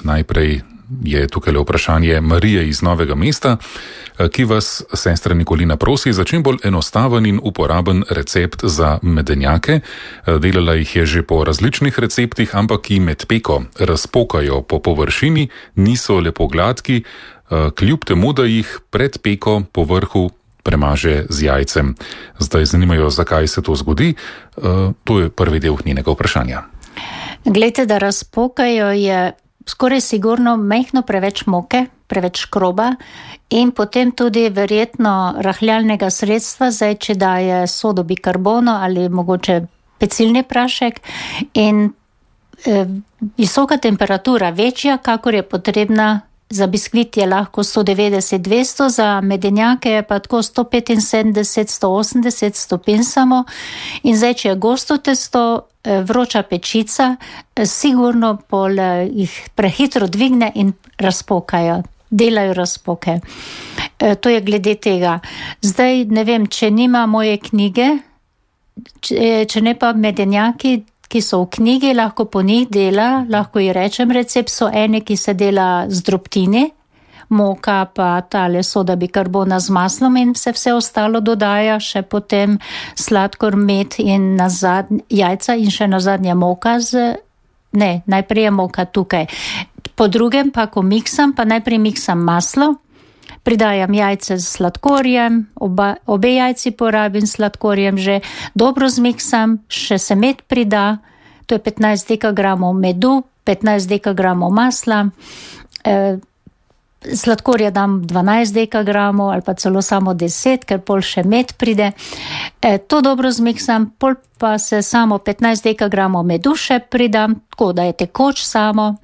Najprej je tukaj vprašanje Marije iz Novega mesta, ki vas, sestra Nikolina, prosi za čim bolj enostaven in uporaben recept za medenjake. Delala jih je že po različnih receptih, ampak ki med peko razpokajo po površini, niso lepo gladki, kljub temu, da jih pred peko po vrhu premaže z jajcem. Zdaj zanimajo, zakaj se to zgodi. To je prvi del njenega vprašanja. Glejte, da razpokajo je skoraj sigurno majhno preveč moke, preveč škroba in potem tudi verjetno rahljalnega sredstva, zdaj če daje sodo bikarbono ali mogoče pecilni prašek in visoka temperatura, večja, kakor je potrebna. Za biskvit je lahko 190-200, za medenjake je pa tako 175-180 stopinj samo. In zdaj, če je gosto testo, vroča pečica, sigurno pol jih prehitro dvigne in razpokajo, delajo razpoke. To je glede tega. Zdaj, ne vem, če nima moje knjige, če ne pa medenjaki, ki so v knjigi, lahko po njih dela, lahko ji rečem recept, so ene, ki se dela z drobtini, moka pa tale soda bikarbona z maslom in se vse ostalo dodaja, še potem sladkor, med in jajca in še nazadnje moka najprej je moka tukaj. Po drugem pa, ko miksam, pa najprej miksam maslo, pridajam jajce z sladkorjem, obe jajci porabim s sladkorjem že, dobro zmiksam, še se med prida, to je 15 dekagramov medu, 15 dekagramov masla, sladkorja dam 12 dekagramov ali pa celo samo 10, ker pol še med pride. To dobro zmiksam, pol pa se samo 15 dekagramov medu še pridam, tako da je tekoč samo,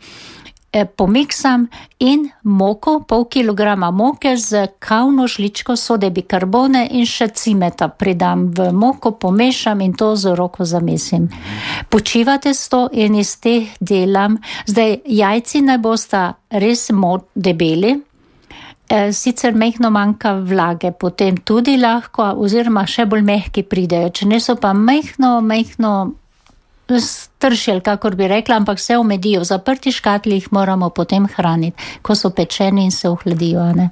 pomiksam in moko, pol kilograma moke z kavno žličko sode bikarbone in še cimeta pridam v moko, pomešam in to z roko zamesim. Počivate sto in iz teh delam, zdaj jajci naj bosta res debeli, sicer mehko manjka vlage, potem tudi lahko, oziroma še bolj mehki pridejo, če ne so pa mehko stršelj, kakor bi rekla, ampak se omedijo. V zaprti škatli jih moramo potem hraniti, ko so pečeni in se ohladijo, ne?